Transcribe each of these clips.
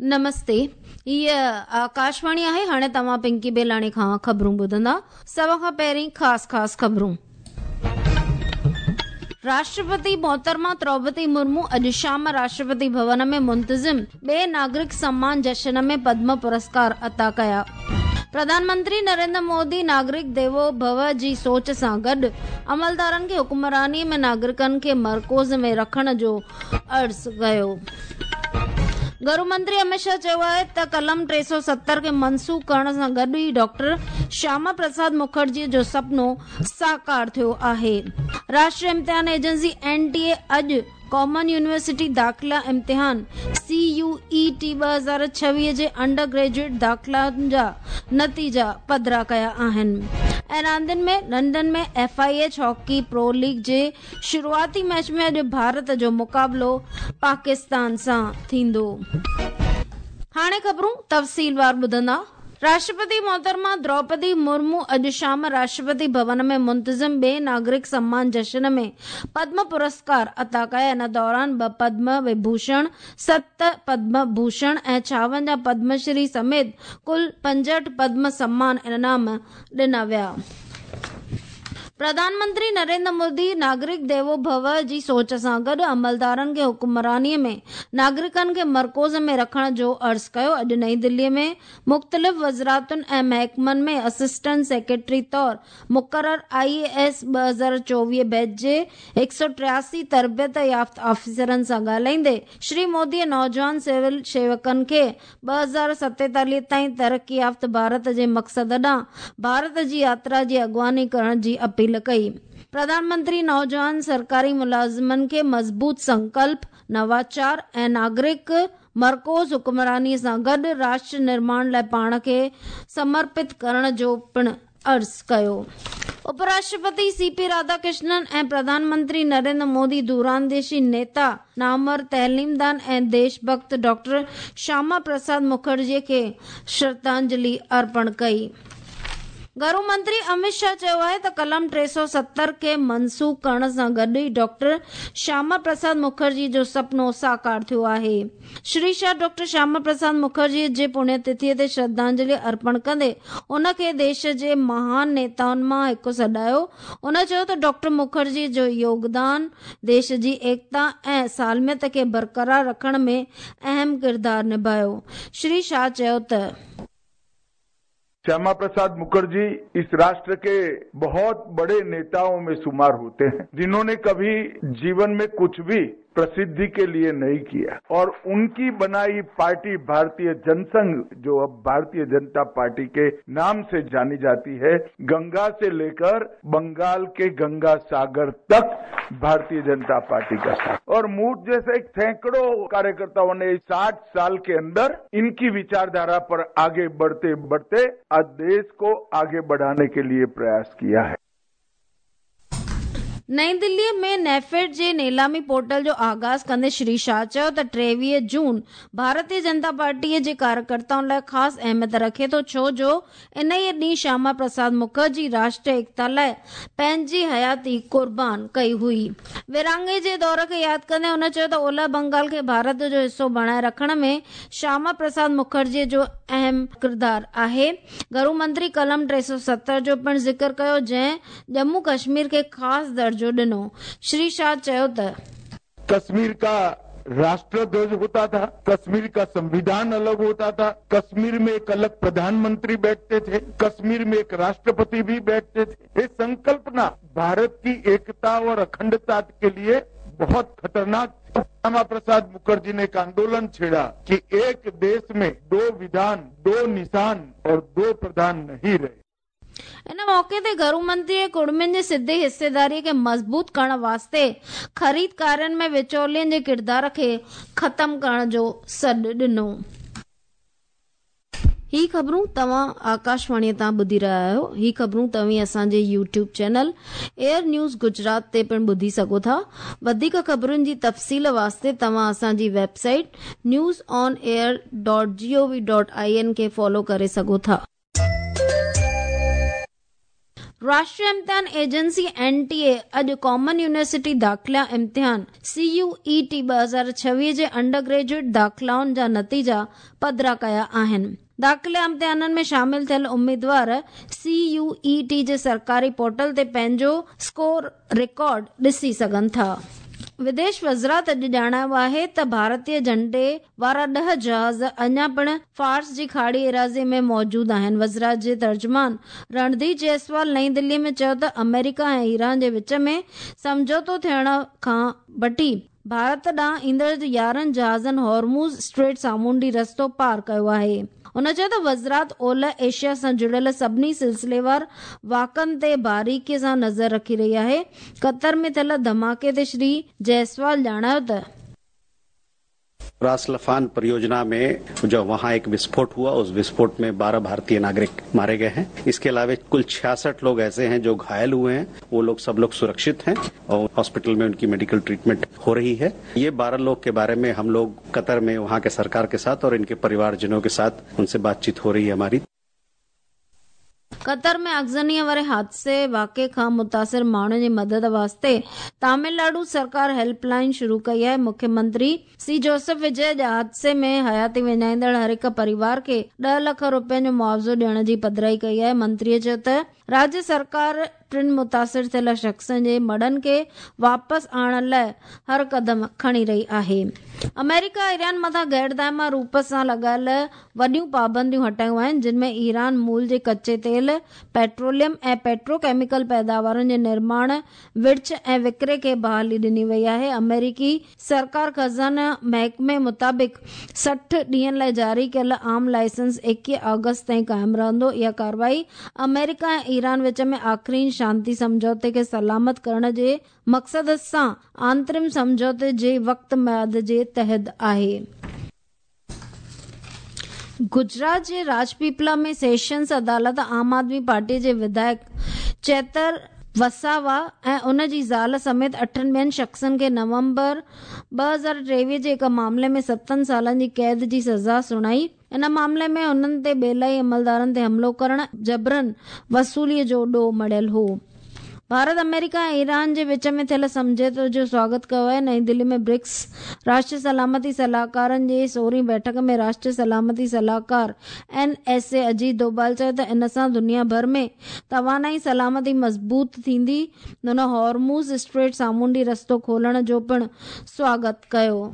نمستي هيء آڪاشواڻي آهي هاڻي توهان پنڪي بيلاڻي کان خبرون ٻڌندا سڀ کان پهرين خاص خاص خبرون راشٽرپتي محترمه دروپدي مرمو اڄ شام راشٽرپتي ڀون ۾ منتظم ٻئي ناگرڪ سمان جشن ۾ پدم پرسڪار عطا ڪيا. پرڌان منتري نريندر مودي ناگرڪ ديوو ڀو جي سوچ سان گڏ عملدارن کي حڪمراني ۾ ناگرڪن کي مرڪوز ۾ رکڻ جو عرض ڪيو. گهرو منتري امت شاهه چيو آهي ته قلم 370 کي منسوخ ڪرڻ سان گڏ ئي ڊاڪٽر شياما پرساد مکرجي جو سپنو ساڪار ٿيو آهي. راشٽريه امتحان ايجنسي اين ٽي اي اڄ ڪامن يونيورسٽي داخلا امتحان سي يو اي ٽي 2026 جي انڊر گريجوئيٽ داخلائن جا نتيجا پڌرا ڪيا آهن ۽ راندين ۾ London ۾ F I H hockey pro league جي شروعاتي ميچ ۾ اڄ ڀارت جو مقابلو پاڪستان سان ٿيندو. هاڻي خبرون تفصيلوار ٻڌندا. راشٽرپتي محترمه دروپدي مرمو اڄ شام راشٽرپتي ڀون ۾ منتظم ٻئي ناگرڪ سمان جشن ۾ پدم پرسڪار عطا ڪيا. ان دوران ٻه پدم وڀوشڻ، ست پدم ڀوشڻ ۽ 56 پدم شري سميت ڪل 65 پدم سمان انعام ڏنا ويا. پرڌان منتري نريندر مودي ناگرڪ ديوو ڀو جي سوچ سان گڏ عملدارن کي حڪمراني ۾ ناگرڪن کي مرڪوز ۾ رکڻ جو عرض ڪيو. اڄ نئين دلي ۾ مختلف وزارتن ۽ محڪمن ۾ اسسٽنٽ سيڪريٽري طور مقرر آء اي ايس 2024 بيچ جي 183 تربيت يافته آفيسرن سان ڳالهائيندي شري مودي نوجوان سول شيوڪن کي 2047 تائين ترقي يافته ڀارت جي مقصد ڏانهن ڀارت جي ياترا جي اڳواڻي ڪرڻ جي اپيل ڪئي. پرڌان منتري نوجوان سرڪاري ملازمن کي مضبوط سنڪلپ، نواچار ۽ ناگرڪ مرڪوز حڪمراني سان گڏ راشٽر نرماڻ لاء پاڻ کي سمرپت ڪرڻ جو پڻ عرض ڪيو. اپراشٽرپتي سي پي راڌاڪرشنن ۽ پرڌان منتري نريندر مودي دورانديشي نيتا، نامور تعليمدان ۽ ديش ڀڳت ڊاڪٽر شياما پرساد مکرجي کي شرڌانجلي ارپڻ ڪئي. گهرو منتري امت شاهه چيو آهي ته قلم 370 کي منسوخ ڪرڻ سان گڏ ئي ڊاڪٽر شياما پرساد مکرجي جو سپنو ساڪار ٿيو آهي. شري شاهه ڊاڪٽر شياما پرساد مکرجي جي پڻيه تٿي تي شرڌانجلي ارپڻ ڪندي ان کي ديش جي مهان نيتائن مان هڪ سڏايو. هن چيو ته ڊاڪٽر مکرجي جو يوگدان ديش جي ايڪتا ۽ سالميت کي برقرار رکڻ ۾ اهم ڪردار نڀايو. شري شاهه چيو ته. श्यामा प्रसाद मुखर्जी इस राष्ट्र के बहुत बड़े नेताओं में शुमार होते हैं, जिन्होंने कभी जीवन में कुछ भी प्रसिद्धि के लिए नहीं किया और उनकी बनाई पार्टी भारतीय जनसंघ, जो अब भारतीय जनता पार्टी के नाम से जानी जाती है, गंगा से लेकर बंगाल के गंगा सागर तक भारतीय जनता पार्टी का साथ और मुझ जैसे सैकड़ों कार्यकर्ताओं ने 60 साल के अंदर इनकी विचारधारा पर आगे बढ़ते बढ़ते आज देश को आगे बढ़ाने के लिए प्रयास किया है। نئين دلي ۾ نيفيڊ جي نيلامي پورٽل جو آغاز ڪندي شري شاهه چيو ته 23 جون ڀارتيه جنتا پارٽي جي ڪاريڪرتائن لاء خاص اهميت رکي ٿو ڇو جو انهيء ڏينهن شياما پرساد مکرجي راشٽريه ايڪتا لاء پنهنجي حياتي قربان ڪئي هئي. ورهاڱي جي دور کي ياد ڪندي هن چيو ته اولهه بنگال کي ڀارت جو حصو بڻائي رکڻ ۾ شياما پرساد مکرجي جو اهم ڪردار آهي. گهرو منتري قلم 370 جو پڻ ذڪر ڪيو جنهن ڄمون ڪشمير کي خاص درجو ڏنو. شري شاهه چيو ته. कश्मीर का राष्ट्र ध्वज होता था, कश्मीर का संविधान अलग होता था, कश्मीर में एक अलग प्रधानमंत्री बैठते थे, कश्मीर में एक राष्ट्रपति भी बैठते थे। ये संकल्पना भारत की एकता और अखंडता के लिए बहुत खतरनाक थी। श्यामा प्रसाद मुखर्जी ने एक आंदोलन छेड़ा कि एक देश में दो विधान, दो निशान और दो प्रधान नहीं रहे। ان موقعي تي گهرو منتري ڪڙمين جي سڌي حصيداري کي مضبوط ڪرڻ واسطي خريدارين ۾ وچولين جي ڪردار کي ختم ڪرڻ جو سڏ ڏنو. هي خبرون توهان آڪاشواڻي تان ٻڌي رهيا آهيو. هي خبرون توهين اسان جي YouTube channel AIR news Gujarat تي پڻ ٻڌي سگهو ٿا. وڌيڪ خبرن جي تفصيل واسطي توهان اسان جي website news on air dot G O V dot I N کي فالو ڪري سگهو ٿا. راشٽريه امتحان ايجنسي، اين ٽي اي، اڄ ڪامن يونيورسٽي داخلا امتحان، سي يو اي ٽي، 2026 جي انڊر گريجوئيٽ داخلائن جا نتيجا پڌرا ڪيا آهن. داخلا امتحانن ۾ شامل ٿيل اميدوار سي يو اي ٽي جي سرڪاري پورٽل تي پنهنجو اسڪور رڪارڊ ڏسي سگهن ٿا. وديش وزارت اڄ ڄاڻايو آهي ته ڀارتي جهنڊي وارا ڏهه جهاز اڃا پڻ فارس جي کاڙي ايراضي ۾ موجود آهن. وزارت جي ترجمان رڻڌير جئسوال نئين دلي ۾ چيو ته آمريڪا ۽ ايران جي وچ ۾ سمجهوتو ٿيڻ کان وٺي ڀارت ڏانهن ايندڙ 11 جهازن هارموز اسٽريٽ سامونڊي رستو پار ڪيو آهي. هن چيو ته وزارت اولهه ايشيا سان جڙيل سڀني سلسليوار واقعن تي باريڪي سان نظر رکي رهي آهي. قطر ۾ ٿيل ڌماڪي تي شري جئسوال ڄاڻايو ته. रास लफान परियोजना में जो वहां एक विस्फोट हुआ, उस विस्फोट में 12 भारतीय नागरिक मारे गए हैं। इसके अलावा कुल 66 लोग ऐसे हैं जो घायल हुए हैं, वो लोग सब लोग सुरक्षित हैं और हॉस्पिटल में उनकी मेडिकल ट्रीटमेंट हो रही है। ये 12 लोग के बारे में हम लोग कतर में वहां के सरकार के साथ और इनके परिवारजनों के साथ उनसे बातचीत हो रही है हमारी। قطر ۾ آگزنيء واري حادثي واقعي کان متاثر ماڻهن جي مدد واسطي تامل ناڊو سرڪار هيلپ لائين شروع ڪئي آهي. مکيه منتري سي جوسف وجي اڄ حادثي ۾ حياتي وڃائيندڙ هر هڪ پريوار کي ڏهه لک روپين جو معاوضو ڏيڻ جي پڌرائي ڪئي آهي. منتري چيو ته راجيه سرڪار ٽن متاثر ٿيل شخصن جي مڙهن کي واپس آڻڻ لاء هر قدم کڻي رهي آهي. آمريڪا ايران مٿان غير دائمي روپ سان لڳايل وڏيون پابنديون هٽايون آهن، جن ۾ ايران مول جي ڪچي تيل، پيٽروليم ۽ پيٽرو ڪيميڪل پيداوارن جي نرماڻ، ورڇ ۽ وڪري کي بحالي ڏني وئي آهي. آمريڪي سرڪار خزانه محڪمي مطابق 60 ڏينهن لاء جاري ڪيل عام لائسنس 21 آگسٽ تائين قائم رهندو. اها ڪارروائي آمريڪا ۽ ايران وچ ۾ آخرين شانتي سمجهوتي کي سلامت ڪرڻ جي مقصد سان آنترم سمجهوتي جي وقت ميعاد جي تحت آهي. گجرات جي راجپيپلا ۾ سيشنز عدالت عام آدمي پارٽي جي وڌايڪ چيتر وساوا ۽ ان جي زال سميت اٺن ٻين شخصن کي نومبر 2023 جي هڪ معاملي ۾ ستن سالن جي قيد جي سزا سڻائي. ان معاملي ۾ انهن تي ٻيلائي عملدارن تي حملو ڪرڻ ۽ جبرن وصولي جو ڏوهه مڙهيل هو. ڀارت آمريڪا ۽ ايران جي وچ ۾ ٿيل سمجهوتي جو سواگت ڪيو آهي. نئين دهلي ۾ برڪس راشٽريه سلامتي صلاحڪارن جي سورهين بيٺڪ ۾ راشٽريه سلامتي صلاحڪار N S A Ajit Doval چيو ته ان سان دنيا ڀر ۾ توانائي سلامتي مضبوط ٿيندي. هن هارموز اسٽريٽ سامونڊي رستو کولڻ جو پڻ سواگت ڪيو.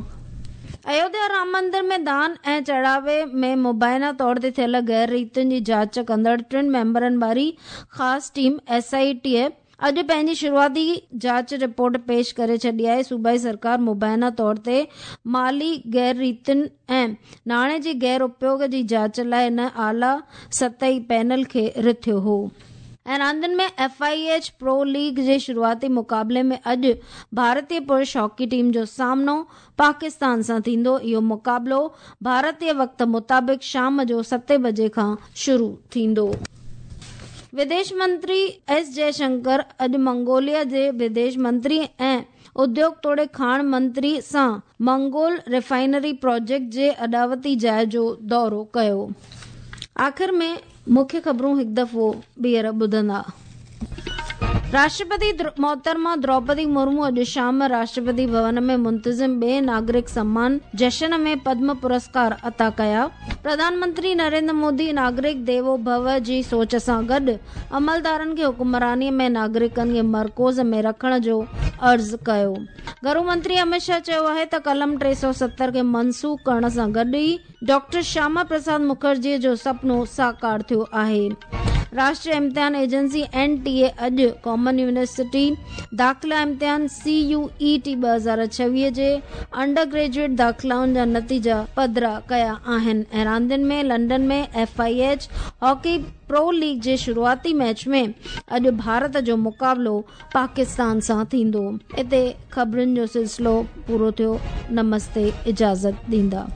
ايوڌيا رام مندر ۾ دان ۽ چڙهاوي ۾ مبينا طور تي ٿيل غير ريتين جي جاچ ڪندڙ ٽن ميمبرن واري خاص ٽيم، ايس I ٽي، اڄ پنهنجي شروعاتي جاچ رپورٽ پيش ڪري ڇڏي آهي. صوبائي سرڪار مبينا طور تي مالي غير ريتين ۽ ناڻي جي غير اپيوگ جي جاچ لاء ان اعليٰ سطحي پينل کي رٿيو هو. ۽ راندين ۾ F I H pro league جي شروعاتي مقابلي ۾ اڄ ڀارتي پرش هاڪي ٽيم جو سامنو پاڪستان سان ٿيندو. اهو مقابلو ڀارتي وقت مطابق شام جو ستين بجي کان شروع ٿيندو. وديش منتري ايس جئه شنڪر اڄ منگوليا جي وديش منتري ۽ اديوگ توڙي کاڻ منتري سان منگول ريفائنري پراجيڪٽ جي اڏاوتي جاء جو دورو ڪيو. آخر ۾ مکيه خبرون هڪ دفعو ٻيهر ٻڌندا. راشٽرپتي محترمه دروپدي مرمو اڄ شام راشٽرپتي ڀون ۾ منتظم ٻئي ناگرڪ سمان جشن ۾ پدم پرسڪار عطا ڪيا. پرڌان منتري نريندر مودي ناگرڪ ديوو ڀو جي سوچ سان گڏ عملدارن کي حڪمراني ۾ ناگرڪن کي مرڪوز ۾ رکڻ جو عرض ڪيو. گهرو منتري امت شاهه چيو آهي ته قلم 370 کي منسوخ ڪرڻ سان گڏ ئي ڊاڪٽر شياما پرساد مکرجيء جو سپنو ساڪار ٿيو آهي. راشٽريه امتحان ايجنسي، اين ٽي اي، اڄ ڪامن يونيورسٽي داخلا امتحان، سي يو اي ٽي، 2026 جي انڊر گريجوئيٽ داخلائن جا نتيجا پڌرا ڪيا آهن ۽ راندين ۾ London ۾ F I H hockey pro league جي شروعاتي ميچ ۾ اڄ ڀارت جو مقابلو پاڪستان سان ٿيندو. اتي خبرن جو سلسلو پورو ٿيو. نمستي اجازت ڏيندا.